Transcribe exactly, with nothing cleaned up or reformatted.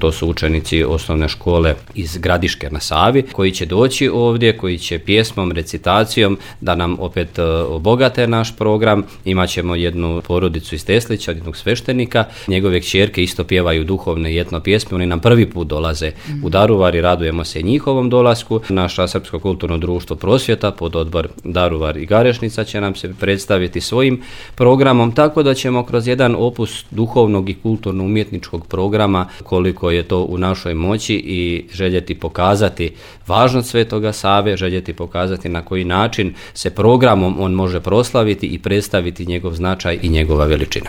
To su učenici osnovne škole iz Gradiške na Savi koji će doći ovdje, koji će pjesmom, recitacijom da nam opet obogate naš program. Imaćemo jednu porodicu iz Teslića, jednog sveštenika. Njegove kćerke isto pjevaju duhovne i etno pjesme. Oni nam prvi put dolaze mm. u Daruvar i radujemo se njihovom dolasku. Naša Srpsko kulturno društvo Prosvjeta pod odbor Daruvar i Garešnica će nam se predstaviti svojim programom, tako da ćemo kroz jedan opus duhovnog i kulturno-umjetničkog programa, koliko je to u našoj moći, i željeti pokazati važnost Svetoga Save, željeti pokazati na koji način se programom on može proslaviti i predstaviti njegov značaj i njegova veličina.